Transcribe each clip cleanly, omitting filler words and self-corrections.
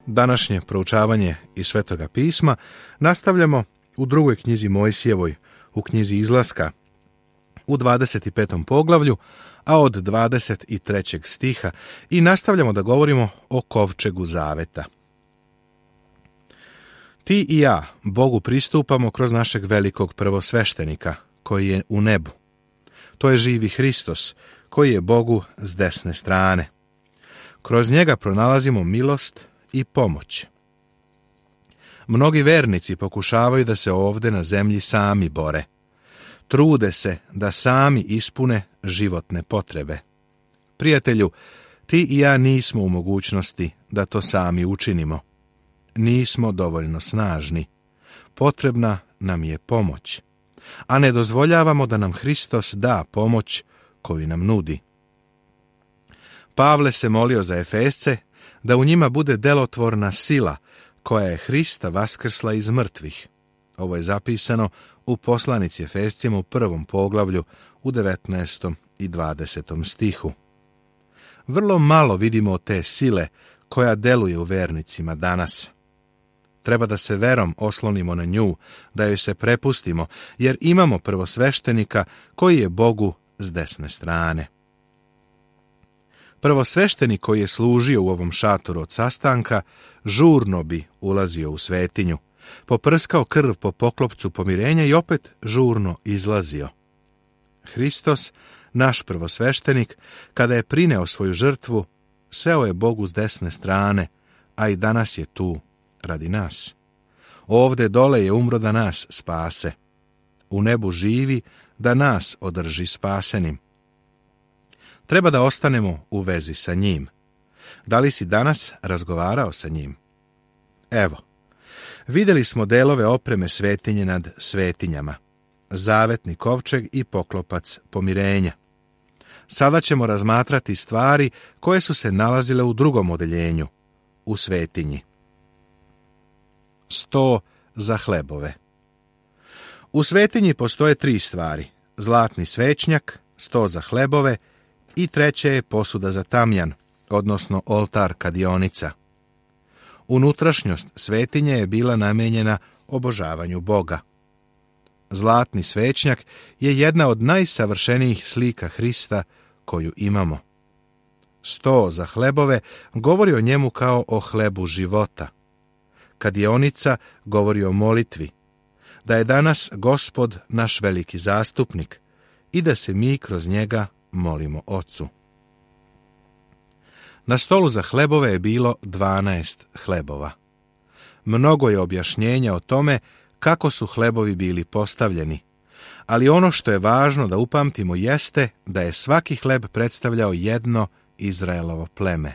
Današnje proučavanje iz Svetoga pisma nastavljamo u drugoj knjizi Mojsijevoj, u knjizi Izlaska, u 25. poglavlju, a od 23. stiha, i nastavljamo da govorimo o kovčegu zaveta. Ti i ja Bogu pristupamo kroz našeg velikog prvosveštenika, koji je u nebu. To je živi Hristos, koji je Bogu s desne strane. Kroz njega pronalazimo milost i pomoć. Mnogi vernici pokušavaju da se ovde na zemlji sami bore. Trude se da sami ispune životne potrebe. Prijatelju, ti i ja nismo u mogućnosti da to sami učinimo. Nismo dovoljno snažni. Potrebna nam je pomoć, a ne dozvoljavamo da nam Hristos da pomoć koju nam nudi. Pavle se molio za Efesce da u njima bude delotvorna sila koja je Hrista vaskrsla iz mrtvih. Ovo je zapisano u poslanici Efescima u 1. poglavlju u 19. i 20. stihu. Vrlo malo vidimo te sile koja deluje u vernicima danas. Treba da se verom oslonimo na nju, da joj se prepustimo, jer imamo prvosveštenika koji je Bogu s desne strane. Prvosveštenik koji je služio u ovom šatoru od sastanka, žurno bi ulazio u svetinju, poprskao krv po poklopcu pomirenja i opet žurno izlazio. Hristos, naš prvosveštenik, kada je prineo svoju žrtvu, seo je Bogu s desne strane, a i danas je tu radi nas. Ovde dole je umro da nas spase. U nebu živi da nas održi spasenim. Treba da ostanemo u vezi sa njim. Da li si danas razgovarao sa njim? Evo, vidjeli smo delove opreme svetinje nad svetinjama, zavetni kovčeg i poklopac pomirenja. Sada ćemo razmatrati stvari koje su se nalazile u drugom odeljenju, u svetinji. Sto za hlebove. U svetinji postoje 3 stvari: zlatni svećnjak, 100 za hlebove i treće je posuda za tamjan, odnosno oltar kadionica. Unutrašnjost svetinje je bila namenjena obožavanju Boga. Zlatni svećnjak je jedna od najsavršenijih slika Hrista koju imamo. 100 za hlebove govori o njemu kao o hlebu života. Kadionica govori o molitvi, da je danas Gospod naš veliki zastupnik i da se mi kroz njega molimo Ocu. Na stolu za hlebove je bilo 12 hlebova. Mnogo je objašnjenja o tome kako su hlebovi bili postavljeni, ali ono što je važno da upamtimo jeste da je svaki hleb predstavljao jedno Izraelovo pleme.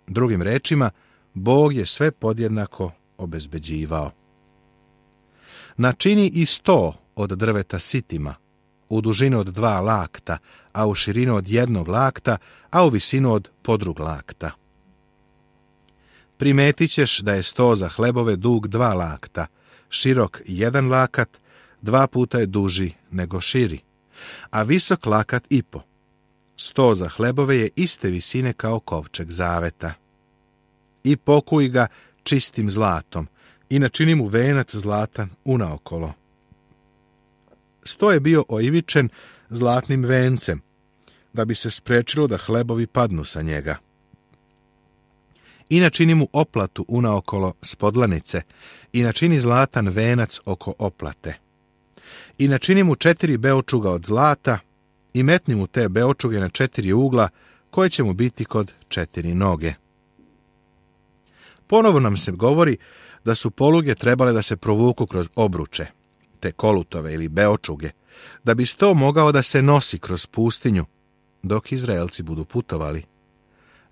Drugim rečima, Bog je sve podjednako obezbeđivao. Načini i 100 od drveta sitima, u dužinu od 2 lakta, a u širinu od 1 lakta, a u visinu od podrug lakta. Primetit ćeš da je 100 za hlebove dug 2 lakta, širok 1 lakat, 2 puta je duži nego širi, a visok lakat i po. 100 za hlebove je iste visine kao kovčeg zaveta. I pokuj ga čistim zlatom i načini mu venac zlatan unaokolo. 100 je bio oivičen zlatnim vencem, da bi se sprečilo da hlebovi padnu sa njega. I načini mu oplatu unaokolo spodlanice i načini zlatan venac oko oplate. I načini mu 4 beočuga od zlata i metni mu te beočuge na 4 ugla koje će mu biti kod 4 noge. Ponovo nam se govori da su poluge trebale da se provuku kroz obruče, te kolutove ili beočuge, da bi 100 mogao da se nosi kroz pustinju, dok Izraelci budu putovali.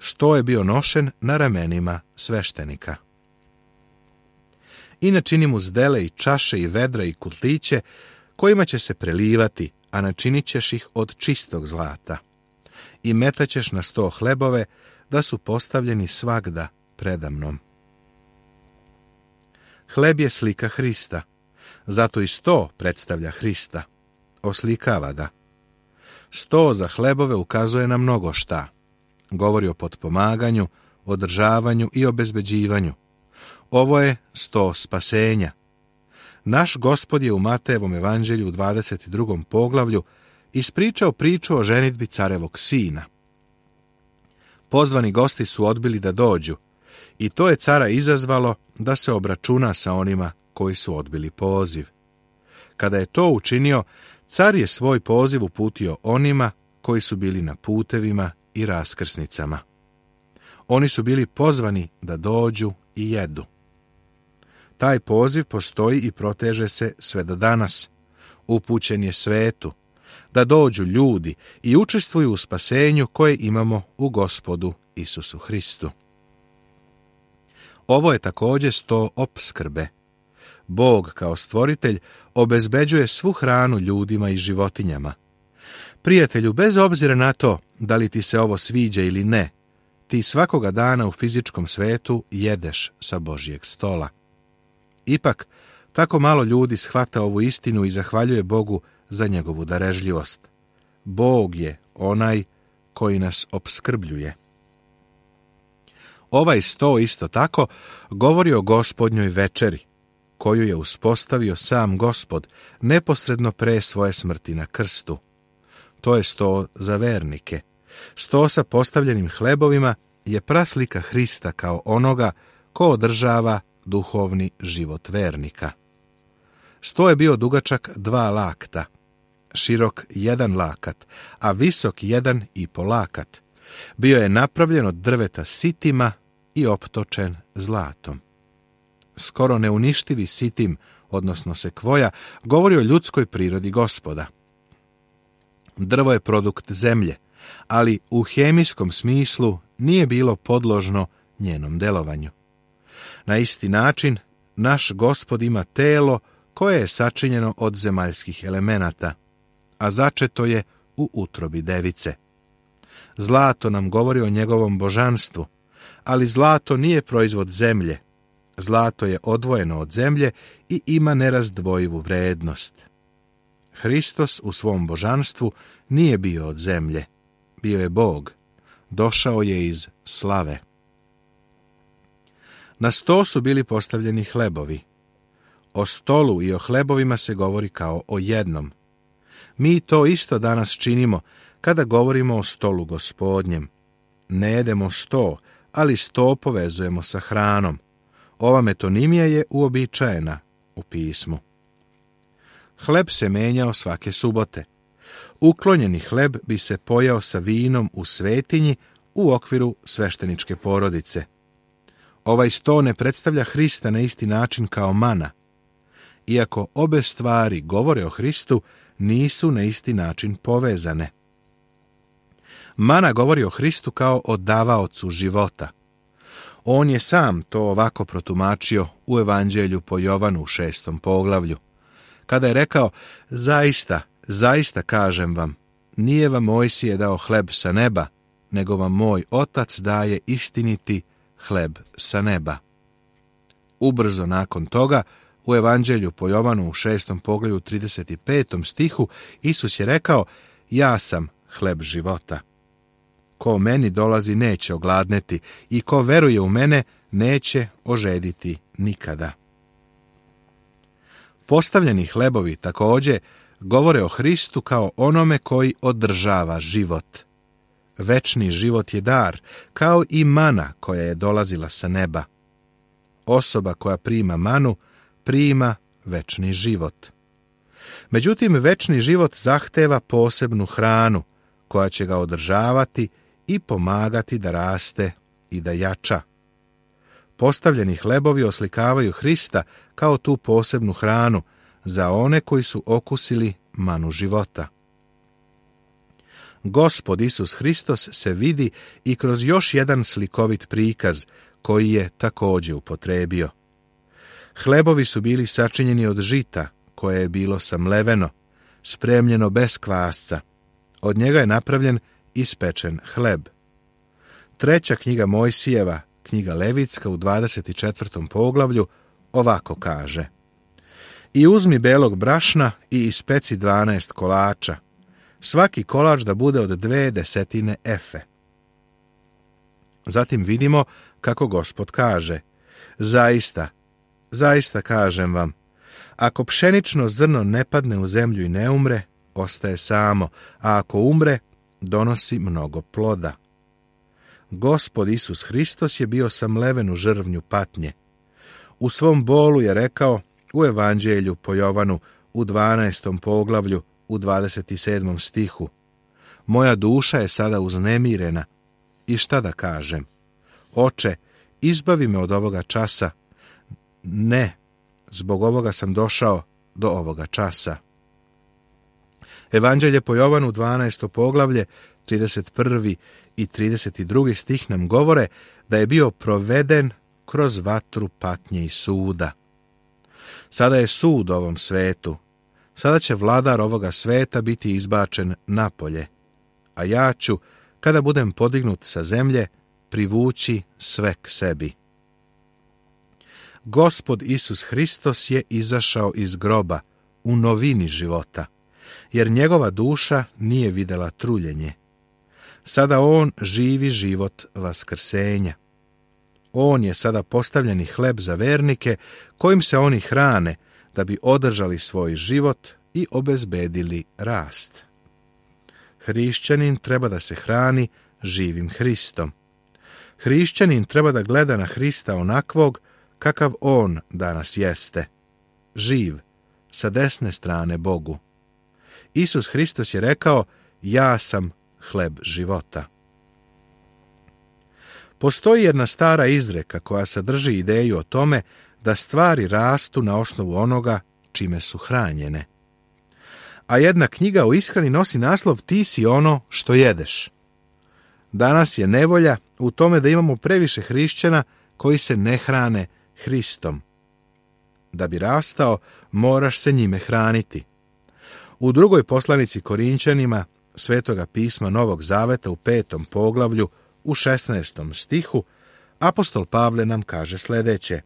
100 je bio nošen na ramenima sveštenika. I načini mu zdele i čaše i vedra i kutliće, kojima će se prelivati, a načinit ćeš ih od čistog zlata. I metaćeš na 100 hlebove, da su postavljeni svagda predamnom. Hleb je slika Hrista, zato i 100 predstavlja Hrista, oslikava ga. 100 za hlebove ukazuje na mnogo šta. Govori o potpomaganju, održavanju i obezbeđivanju. Ovo je sto spasenja. Naš Gospod je u Matejevom evanđelju u 22. poglavlju ispričao priču o ženidbi carevog sina. Pozvani gosti su odbili da dođu i to je cara izazvalo da se obračuna sa onima koji su odbili poziv. Kada je to učinio, car je svoj poziv uputio onima koji su bili na putevima i raskrsnicama. Oni su bili pozvani da dođu i jedu. Taj poziv postoji i proteže se sve do danas. Upućen je svetu, da dođu ljudi i učestvuju u spasenju koje imamo u Gospodu Isusu Hristu. Ovo je također sto opskrbe. Bog kao stvoritelj obezbeđuje svu hranu ljudima i životinjama. Prijatelju, bez obzira na to da li ti se ovo sviđa ili ne, ti svakoga dana u fizičkom svetu jedeš sa Božjeg stola. Ipak, tako malo ljudi shvata ovu istinu i zahvaljuje Bogu za njegovu darežljivost. Bog je onaj koji nas opskrbljuje. Ovaj sto isto tako govori o Gospodnjoj večeri, koju je uspostavio sam Gospod neposredno pre svoje smrti na krstu. To je sto za vernike. Sto sa postavljenim hlebovima je praslika Hrista kao onoga ko održava duhovni život vernika. Sto je bio dugačak 2 lakta, širok 1 lakat, a visok 1,5 lakat. Bio je napravljen od drveta sitima i optočen zlatom. Skoro neuništivi sitim, odnosno sekvoja, govori o ljudskoj prirodi Gospoda. Drvo je produkt zemlje, ali u hemijskom smislu nije bilo podložno njenom delovanju. Na isti način, naš Gospod ima telo koje je sačinjeno od zemaljskih elemenata, a začeto je u utrobi device. Zlato nam govori o njegovom božanstvu, ali zlato nije proizvod zemlje. Zlato je odvojeno od zemlje i ima nerazdvojivu vrednost. Hristos u svom božanstvu nije bio od zemlje. Bio je Bog. Došao je iz slave. Na sto su bili postavljeni hlebovi. O stolu i o hlebovima se govori kao o jednom. Mi to isto danas činimo kada govorimo o stolu Gospodnjem. Ne jedemo sto, ali sto povezujemo sa hranom. Ova metonimija je uobičajena u pismu. Hleb se menjao svake subote. Uklonjeni hleb bi se pojao sa vinom u svetinji u okviru svešteničke porodice. Ovaj sto ne predstavlja Hrista na isti način kao mana. Iako obe stvari govore o Hristu, nisu na isti način povezane. Mana govori o Hristu kao o davaocu života. On je sam to ovako protumačio u Evanđelju po Jovanu u 6. poglavlju. Kada je rekao, zaista kažem vam, nije vam Mojsije dao hleb sa neba, nego vam moj Otac daje istiniti hleb sa neba. Ubrzo nakon toga, u Evanđelju po Jovanu u 6. poglavlju 35. stihu, Isus je rekao, ja sam hleb života. Ko meni dolazi neće ogladneti i ko veruje u mene neće ožediti nikada. Postavljeni hlebovi također govore o Hristu kao onome koji održava život. Večni život je dar, kao i mana koja je dolazila sa neba. Osoba koja prima manu, prima večni život. Međutim, večni život zahteva posebnu hranu, koja će ga održavati i pomagati da raste i da jača. Postavljeni hlebovi oslikavaju Hrista kao tu posebnu hranu za one koji su okusili manu života. Gospod Isus Hristos se vidi i kroz još jedan slikovit prikaz koji je također upotrebio. Hlebovi su bili sačinjeni od žita koje je bilo samleveno, spremljeno bez kvasca. Od njega je napravljen ispečen hleb. 3. knjiga Mojsijeva, knjiga Levitska u 24. poglavlju ovako kaže: I uzmi belog brašna i ispeci 12 kolača, svaki kolač da bude od 2 desetine efe. Zatim vidimo kako Gospod kaže: zaista, zaista kažem vam, ako pšenično zrno ne padne u zemlju i ne umre, ostaje samo, a ako umre, donosi mnogo ploda. Gospod Isus Hristos je bio samleven u žrvnju patnje. U svom bolu je rekao u Evanđelju po Jovanu u 12. poglavlju u 27. stihu: moja duša je sada uznemirena. I šta da kažem? Oče, izbavi me od ovoga časa. Ne, zbog ovoga sam došao do ovoga časa. Evanđelje po Jovanu 12. poglavlje 31. i 32. stih nam govore da je bio proveden kroz vatru patnje i suda. Sada je sud ovom svetu. Sada će vladar ovoga sveta biti izbačen napolje, a ja ću, kada budem podignut sa zemlje, privući sve k sebi. Gospod Isus Hristos je izašao iz groba u novini života, jer njegova duša nije vidjela truljenje. Sada on živi život vaskrsenja. On je sada postavljeni hleb za vernike, kojim se oni hrane, da bi održali svoj život i obezbedili rast. Hrišćanin treba da se hrani živim Hristom. Hrišćanin treba da gleda na Hrista onakvog kakav on danas jeste, živ, sa desne strane Bogu. Isus Hristos je rekao: ja sam hleb života. Postoji jedna stara izreka koja sadrži ideju o tome da stvari rastu na osnovu onoga čime su hranjene. A jedna knjiga o ishrani nosi naslov Ti si ono što jedeš. Danas je nevolja u tome da imamo previše hrišćana koji se ne hrane Hristom. Da bi rastao, moraš se njime hraniti. U drugoj poslanici Korinćanima Svetoga pisma Novog Zaveta u 5. poglavlju u 16. stihu apostol Pavle nam kaže sljedeće: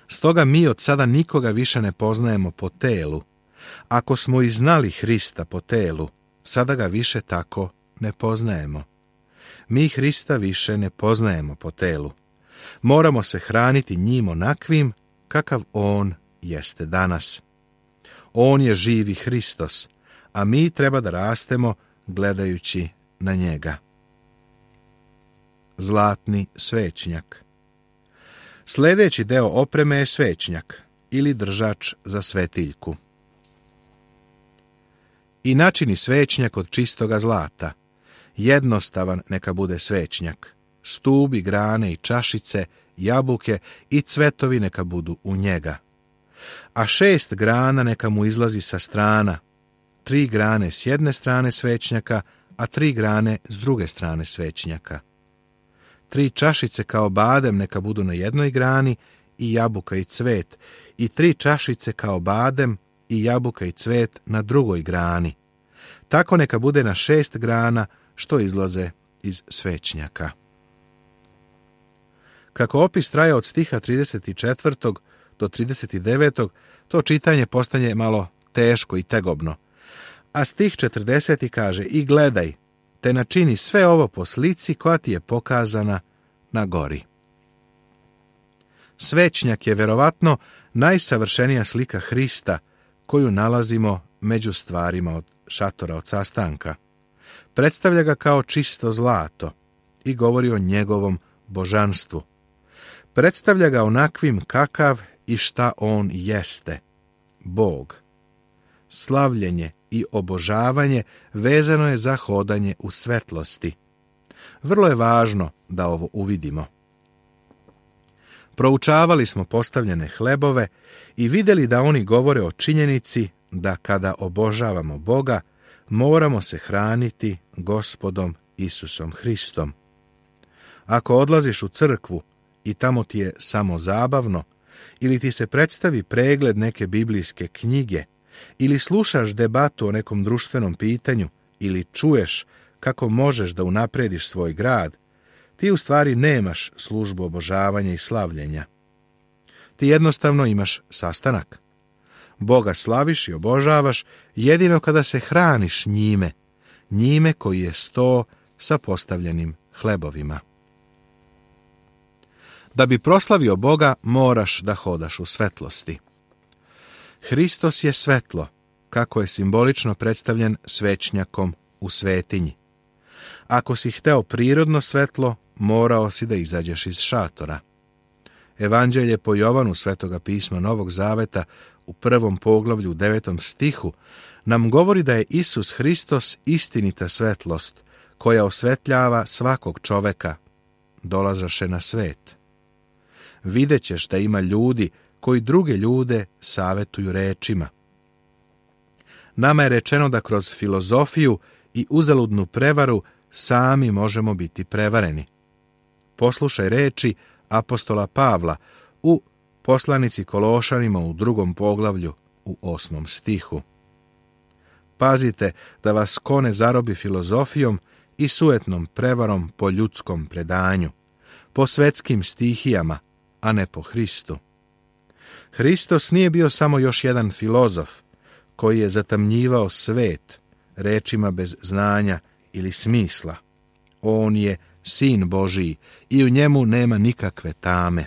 stoga mi od sada nikoga više ne poznajemo po telu. Ako smo i znali Hrista po telu, sada ga više tako ne poznajemo. Mi Hrista više ne poznajemo po telu. Moramo se hraniti njim onakvim kakav on jeste danas. On je živi Hristos, a mi treba da rastemo gledajući na njega. Zlatni svećnjak. Sljedeći deo opreme je svećnjak ili držač za svetiljku. I načini svećnjak od čistoga zlata. Jednostavan neka bude svećnjak. Stubi, grane i čašice, jabuke i cvetovi neka budu u njega. A 6 grana neka mu izlazi sa strana, 3 grane s jedne strane svećnjaka, a 3 grane s druge strane svećnjaka. 3 čašice kao badem neka budu na jednoj grani i jabuka i cvet, i 3 čašice kao badem i jabuka i cvet na drugoj grani. Tako neka bude na 6 grana što izlaze iz svećnjaka. Kako opis traje od stiha 34. do 39. to čitanje postane malo teško i tegobno. A stih 40. kaže: i gledaj, te načini sve ovo po slici koja ti je pokazana na gori. Svećnjak je verovatno najsavršenija slika Hrista koju nalazimo među stvarima od šatora od sastanka. Predstavlja ga kao čisto zlato i govori o njegovom božanstvu. Predstavlja ga onakvim kakav i šta on jeste, Bog. Slavljenje i obožavanje vezano je za hodanje u svetlosti. Vrlo je važno da ovo uvidimo. Proučavali smo postavljene hlebove i vidjeli da oni govore o činjenici da kada obožavamo Boga, moramo se hraniti Gospodom Isusom Hristom. Ako odlaziš u crkvu i tamo ti je samo zabavno, ili ti se predstavi pregled neke biblijske knjige, ili slušaš debatu o nekom društvenom pitanju, ili čuješ kako možeš da unaprediš svoj grad, ti u stvari nemaš službu obožavanja i slavljenja. Ti jednostavno imaš sastanak. Boga slaviš i obožavaš jedino kada se hraniš njime, njime koji je sto sa postavljenim hlebovima. Da bi proslavio Boga, moraš da hodaš u svetlosti. Hristos je svetlo, kako je simbolično predstavljen svećnjakom u svetinji. Ako si hteo prirodno svetlo, morao si da izađeš iz šatora. Evanđelje po Jovanu Svetoga pisma Novog Zaveta u 1. poglavlju 9. stihu nam govori da je Isus Hristos istinita svetlost koja osvetljava svakog čoveka, dolazaše na svet. Vidjet ćeš da ima ljudi koji druge ljude savetuju rečima. Nama je rečeno da kroz filozofiju i uzaludnu prevaru sami možemo biti prevareni. Poslušaj reči apostola Pavla u poslanici Kološanima u 2. poglavlju u 8. stihu. Pazite da vas ko ne zarobi filozofijom i sujetnom prevarom po ljudskom predanju, po svetskim stihijama, a ne po Hristu. Hristos nije bio samo još jedan filozof koji je zatamnjivao svet rečima bez znanja ili smisla. On je Sin Božiji i u njemu nema nikakve tame.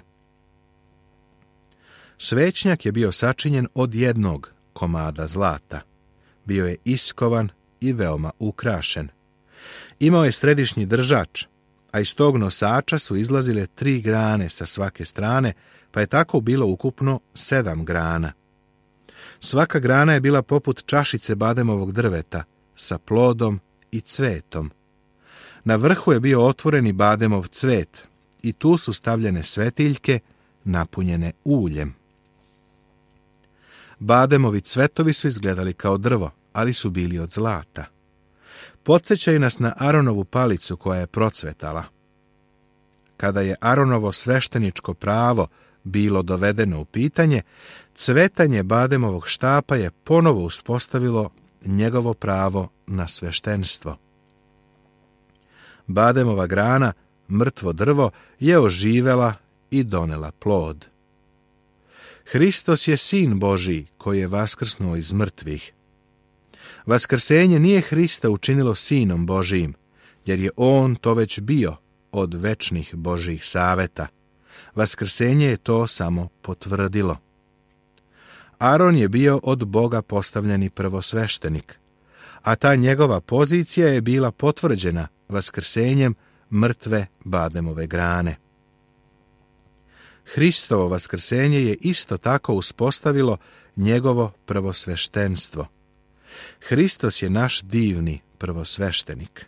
Svećnjak je bio sačinjen od jednog komada zlata. Bio je iskovan i veoma ukrašen. Imao je središnji držač, a iz tog nosača su izlazile 3 grane sa svake strane, pa je tako bilo ukupno 7 grana. Svaka grana je bila poput čašice bademovog drveta, sa plodom i cvetom. Na vrhu je bio otvoreni bademov cvet i tu su stavljene svetiljke napunjene uljem. Bademovi cvetovi su izgledali kao drvo, ali su bili od zlata. Podsjećaju nas na Aronovu palicu koja je procvetala. Kada je Aronovo svešteničko pravo bilo dovedeno u pitanje, cvetanje bademovog štapa je ponovo uspostavilo njegovo pravo na sveštenstvo. Bademova grana, mrtvo drvo, je oživela i donela plod. Hristos je Sin Božiji koji je vaskrsnuo iz mrtvih. Vaskrsenje nije Hrista učinilo Sinom Božijim, jer je on to već bio od večnih Božjih saveta. Vaskrsenje je to samo potvrdilo. Aron je bio od Boga postavljeni prvosveštenik, a ta njegova pozicija je bila potvrđena vaskrsenjem mrtve bademove grane. Hristovo vaskrsenje je isto tako uspostavilo njegovo prvosveštenstvo. Hristos je naš divni prvosveštenik.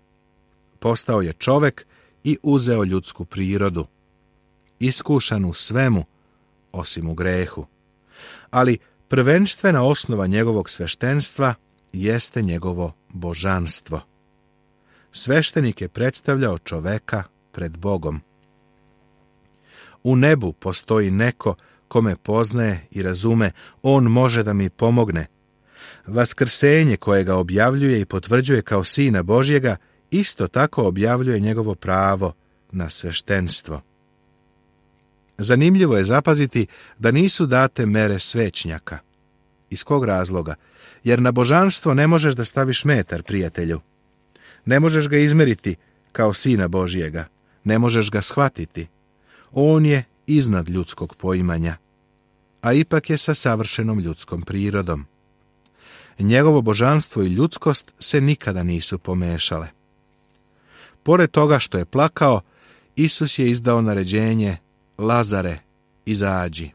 Postao je čovek i uzeo ljudsku prirodu, iskušan u svemu, osim u grehu. Ali prvenstvena osnova njegovog sveštenstva jeste njegovo božanstvo. Sveštenik je predstavljao čoveka pred Bogom. U nebu postoji neko ko me poznaje i razume, on može da mi pomogne. Vaskrsenje koje ga objavljuje i potvrđuje kao Sina Božjega isto tako objavljuje njegovo pravo na sveštenstvo. Zanimljivo je zapaziti da nisu date mere svećnjaka. Iz kog razloga? Jer na božanstvo ne možeš da staviš metar, prijatelju. Ne možeš ga izmeriti kao Sina Božjega. Ne možeš ga shvatiti. On je iznad ljudskog poimanja, a ipak je sa savršenom ljudskom prirodom. Njegovo božanstvo i ljudskost se nikada nisu pomešale. Pored toga što je plakao, Isus je izdao naređenje: Lazare, izađi.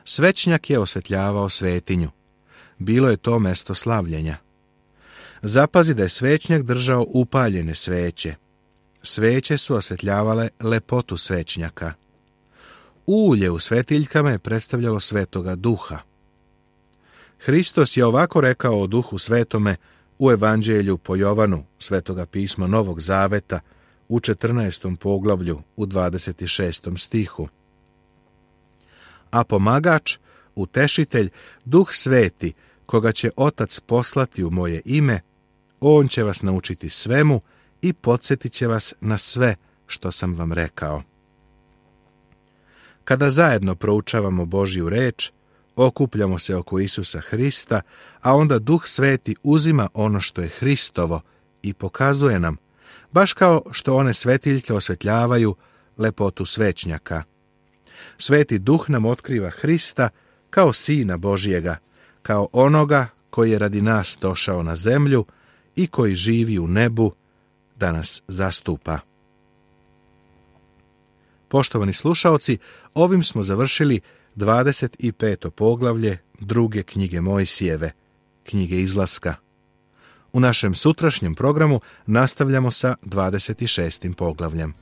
Svećnjak je osvetljavao svetinju. Bilo je to mesto slavljenja. Zapazi da je svećnjak držao upaljene sveće. Sveće su osvetljavale lepotu svećnjaka. Ulje u svetiljkama je predstavljalo Svetoga Duha. Hristos je ovako rekao o Duhu Svetome u Evanđelju po Jovanu, Svetoga pisma Novog Zaveta, u 14. poglavlju, u 26. stihu. A pomagač, utešitelj, Duh Sveti, koga će Otac poslati u moje ime, on će vas naučiti svemu i podsjetit će vas na sve što sam vam rekao. Kada zajedno proučavamo Božju reč, okupljamo se oko Isusa Hrista, a onda Duh Sveti uzima ono što je Hristovo i pokazuje nam, baš kao što one svetiljke osvetljavaju lepotu svećnjaka. Sveti Duh nam otkriva Hrista kao Sina Božjega, kao onoga koji je radi nas došao na zemlju i koji živi u nebu da nas zastupa. Poštovani slušaoci, ovim smo završili 25. poglavlje druge knjige Mojsijeve, knjige Izlaska. U našem sutrašnjem programu nastavljamo sa 26. poglavljem.